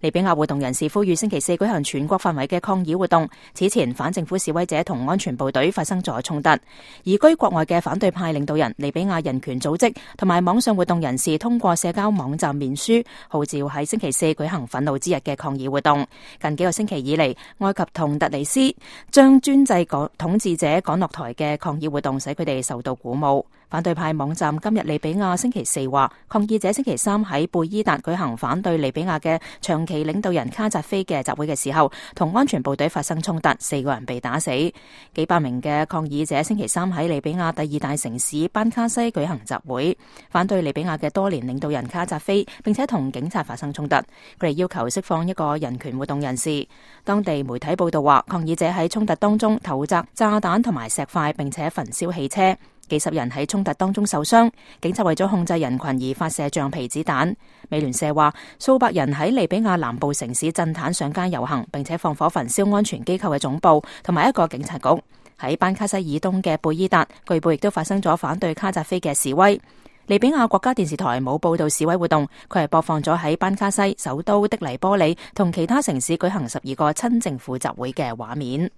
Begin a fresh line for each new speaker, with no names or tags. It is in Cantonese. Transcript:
利比亞活動人士呼籲星期四舉行全國範圍嘅抗議活動。此前反政府示威者同安全部隊發生咗衝突，移居國外嘅反對派領導人、利比亞人權組織同埋網上活動人士通過社交網站面書，號召喺星期四舉行憤怒之日嘅抗議活動。近幾個星期以嚟，埃及同突尼斯將專制統治者趕落台嘅抗議活動使佢哋受到鼓舞。反對派網站今日利比亞星期四話，抗議者星期三喺貝伊達舉行反對利比亞嘅長期領導人卡扎菲嘅集會嘅時候，同安全部隊發生衝突，4個人被打死。幾百名嘅抗議者星期三喺利比亞第二大城市班卡西舉行集會，反對利比亞嘅多年領導人卡扎菲，並且同警察發生衝突。佢哋要求釋放一個人權活動人士。當地媒體報道話，抗議者喺衝突當中投擲炸彈同埋石塊，並且焚燒汽車。幾十人喺衝突當中受傷，警察為咗控制人群而發射橡皮子彈。美聯社話，數百人喺利比亞南部城市震坦上街遊行，並且放火焚燒安全機構嘅總部同埋一個警察局。喺班卡西以東嘅貝伊達，據報亦都發生咗反對卡扎菲嘅示威。利比亞國家電視台冇報道示威活動，佢係播放咗喺班卡西首都的黎波里同其他城市舉行12個親政府集會嘅畫面。